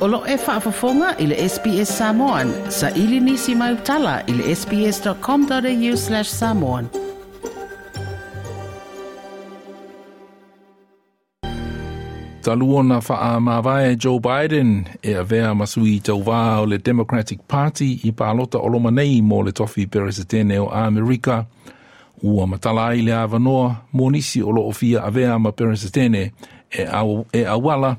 O lo e faafofoga i le SBS Samoan. Saili nisi mau tala i le sbs.com.au/samoan. Talu ona faamavae Joe Biden e avea ma sui tauvā o le Democratic Party i palota o loma nei mo le tofi Peresetene o Amerika, ua matala ai le avanoa mo nisi o loo fia avea ma Peresetene e, au, e auala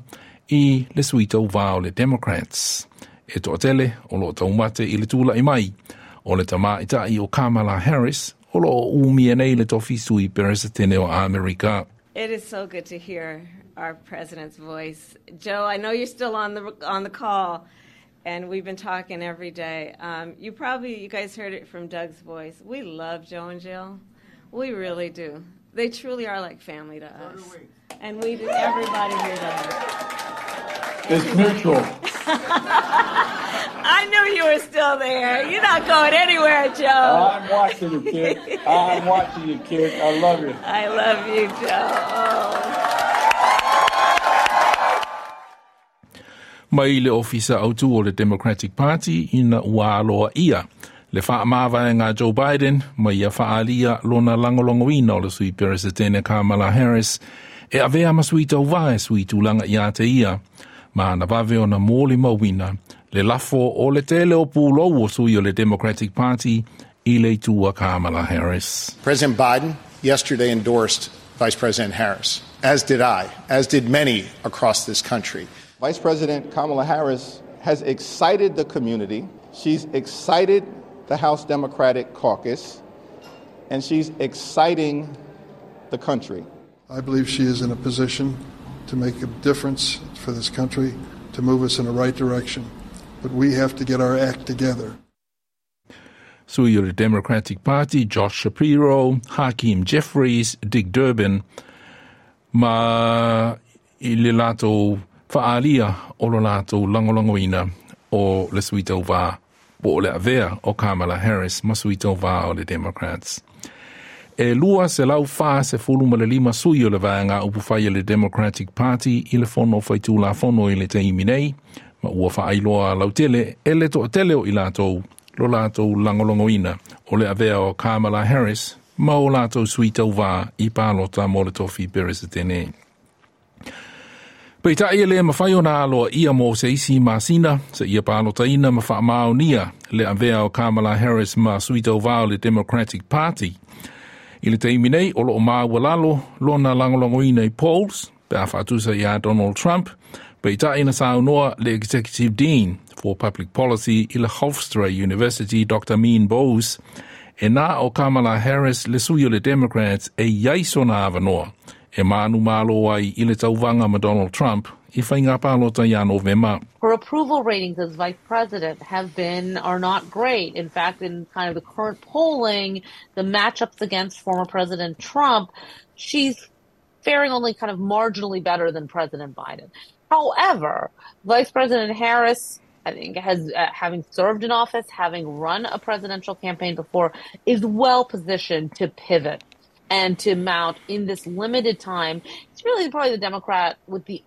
i le sui tauvā o le Democrats. E toatele o loo taumate i le tula'i mai o le tamaita'i o Kamala Harris o loo umia nei le tofi sui Peresetene o Amerika. It is so good to hear our president's voice. Joe, I know you're still on the call, and we've been talking every day. You probably you guys heard it from Doug's voice. We love Joe and Jill. We really do. They truly are like family to us. And we do, everybody here does. It's mutual. I knew you were still there. You're not going anywhere, Joe. I'm watching you, kid. I'm watching you, kid. I love you. I love you, Joe. Oh. Mai le ofisa autu o le Democratic Party ina ua aloaia le faamavaega a Joe Biden ma ia faaalia lona lagolagoina o le sui Peresetene Kamala Harris e avea ma sui tauvā e sui tulaga ia te ia ma na vave ona molimauina le lafo o le tele o pulou o sui o le Democratic Party i le itu a Kamala Harris. President Biden yesterday endorsed Vice President Harris, as did I, as did many across this country. Vice President Kamala Harris has excited the community. She's excited the House Democratic Caucus, and she's exciting the country. I believe she is in a position to make a difference for this country, to move us in the right direction. But we have to get our act together. Sui o le Democratic Party, Josh Shapiro, Hakeem Jeffries, Dick Durbin, ma i le latou faaalia o lo latou lagolagoina o le sui tauvā po o le avea o Kamala Harris ma sui tauvā o le Democrats. E 245 sui o le vaega upufai o le Democratic Party i le fono faitulafono i le taimi nei, ma ua faailoa lautele e le toatele o i latou lo latou lagolagoina o le avea o Kamala Harris ma o latou sui tauvā i palota mo le tofi Peresetene. Peitai e le mawhai o nā aloa ia mo se isi masina, se ia palotaina ma whaamaonia le avea o Kamala Harris ma sui tauvā o le Democratic Party. I le taimi nei o loo maualalo lona lagolagoina i polls, pe a faatusa ia Donald Trump, peitai na saunoa le Executive Dean for Public Policy i le Hofstra University, Dr. Meen Bose, e na o Kamala Harris le sui o le Democrats e iai sona avanoa e manumalo ai i le tauvaga ma Donald Trump i faiga palota ia Novema. Her approval ratings as vice president have been are not great. In fact, in kind of the current polling, the matchups against former President Trump, she's faring only kind of marginally better than President Biden. However, Vice President Harris, I think, has having served in office, having run a presidential campaign before, is well positioned to pivot and to mount in this limited time. It's really probably the Democrat with the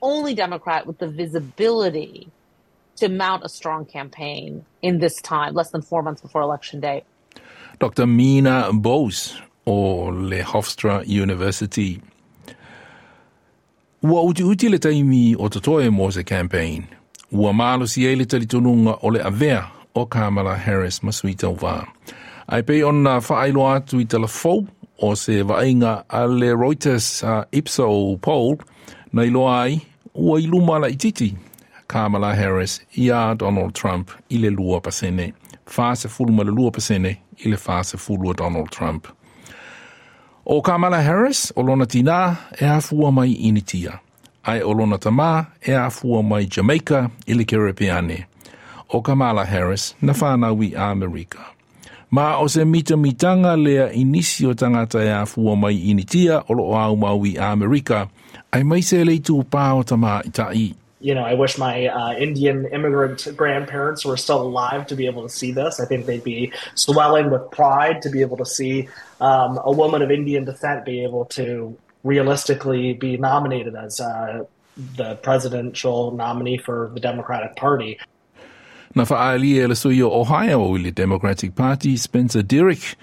only Democrat with the visibility to mount a strong campaign in this time, less than 4 months before Election Day. Dr. Mina Bose o le Hofstra University. Ua utiuti le taimi o totoe mo se campaign. Ua malosi ai le talitonuga o le avea o Kamala Harris ma sui tauvā. Ae pei ona faailoa atu i tala fou o se vaaiga a le Reuters Ipsos poll na iloa ai ua i luma laititi Kamala Harris ia Donald Trump i le 2%. 42% i le 40 o Donald Trump. O Kamala Harris o lona tinā e afua mai Initia. Ae o lona tamā e afua mai Jamaica i le Kerepeane. O Kamala Harris na whanau i Amerika. Ma o se mitamitanga lea i nisi o tagata e afua mai Initia o loo aumau i Amerika, aemaise le itupā o tamaitai. I wish my Indian immigrant grandparents were still alive to be able to see this. I think they'd be swelling with pride to be able to see a woman of Indian descent be able to realistically be nominated as the presidential nominee for the Democratic Party. Na fa'aalia e le sui o Ohio i le Democratic Party Spencer Derrick,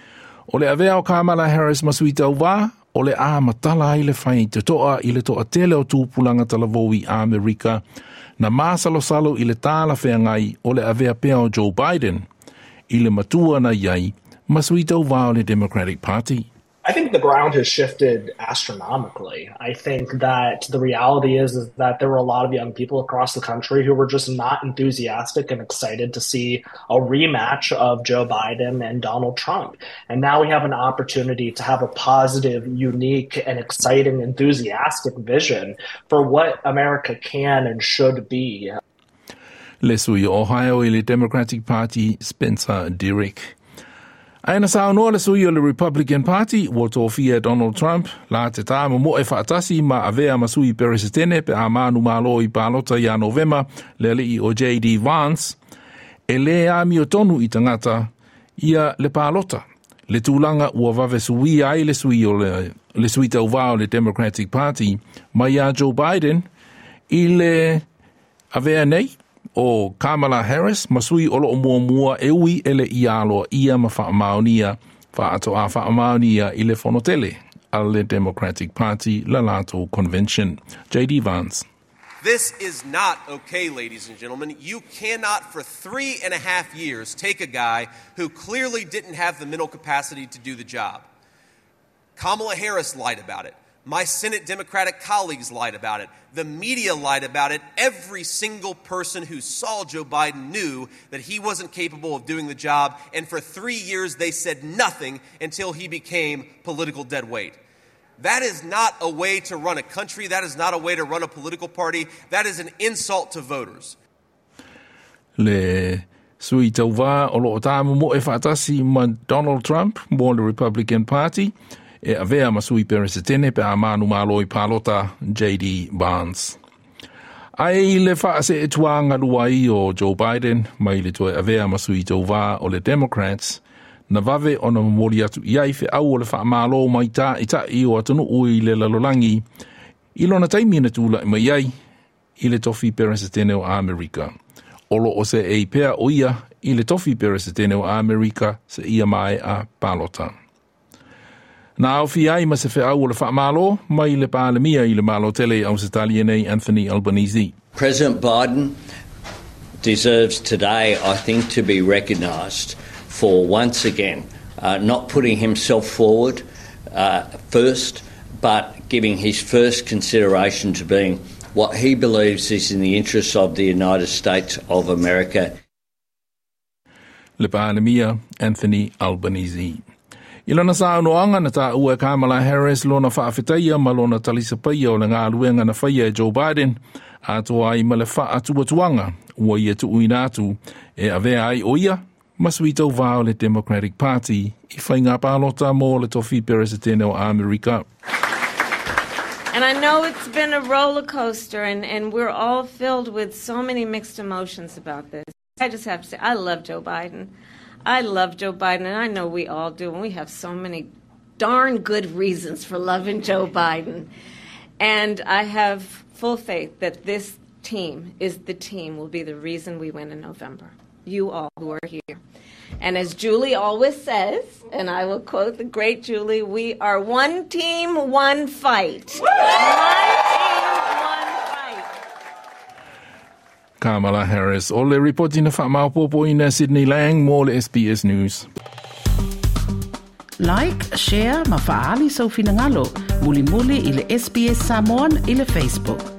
o le avea o Kamala Harris ma sui tauvā, o le a matala ai le faitotoa i le toatele o tupulaga talavou i Amerika na masalosalo i le talafeagai o le avea pea o Joe Biden i le matua na i ai ma sui tauvā o le Democratic Party. I think the ground has shifted astronomically. I think that the reality is that there were a lot of young people across the country who were just not enthusiastic and excited to see a rematch of Joe Biden and Donald Trump. And now we have an opportunity to have a positive, unique, and exciting, enthusiastic vision for what America can and should be. Le sui o Ohio i le Democratic Party Spencer Derrick. Ae na saunoa le sui o le Republican Party ua tofia e Donald Trump la te tāmomoe faatasi ma avea ma sui peresetene pe a manumalo i palota ia Novema le ali'i o J.D. Vance e lē amiotonu i tagata ia le palota. Le tulaga ua vave suia ai le sui o le sui tauvā o le Democratic Party mai iā Joe Biden i le avea nei o Kamala Harris ma sui o loo muamua e ui e le i aloaia ma faamaonia faatoa faamaonia i le fonotele a le Democratic Party la latou convention. JD Vance. This is not okay, ladies and gentlemen. You cannot, for 3.5 years, take a guy who clearly didn't have the mental capacity to do the job. Kamala Harris lied about it. My Senate Democratic colleagues lied about it. The media lied about it. Every single person who saw Joe Biden knew that he wasn't capable of doing the job. And for 3 years, they said nothing until he became political dead weight. That is not a way to run a country. That is not a way to run a political party. That is an insult to voters. Le sui tauvā o loo tāmomoe faatasi ma Donald Trump mo le Republican Party e avea ma sui peresetene pe a manumalo i palota J.D. Vance. Ae i le faaseetuaga ai o Joe Biden mai le toe avea ma sui tauvā o le Democrats na vave ona momoli atu i ai feau o le faamālō mai taʻitaʻi o atunuu i le lalolagi i lona taimi na tulaʻi mai ai i le tofi peresetene o Amerika. O loo seei pea o ia i le tofi peresetene o Amerika seia maea palota. Na aofia ai ma se feau o le faamālō mai le Palemia i le Malo tele Ausetalia nei Anthony Albanese. President Biden deserves today, I think, to be recognised for once again not putting himself forward first, but giving his first consideration to being what he believes is in the interests of the United States of America. Le Palemia Anthony Albanese. I lona saunoaga na taua e Kamala Harris lona faafetaia ma lona talisapaia o le galuega na faia e Joe Biden atoa ai ma le faatuatuaga ua ia tuuina atu e avea ai o ia ma sui tauvā o le Democratic Party i faiga palota mo le tofi peresetene o Amerika. And I know it's been a roller coaster, and we're all filled with so many mixed emotions about this. I just have to say, I love Joe Biden. I love Joe Biden, and I know we all do, and we have so many darn good reasons for loving Joe Biden. And I have full faith that this team is the team, will be the reason we win in November. You all who are here. And as Julie always says, and I will quote the great Julie, we are one team, one fight. One team, one fight. Kamala Harris o le ripoti na faamaopoopoina Sydney Lang mo le SBS News. Like, share ma faaali sou finagalo. Mulimuli i le SBS Samoan i le Facebook.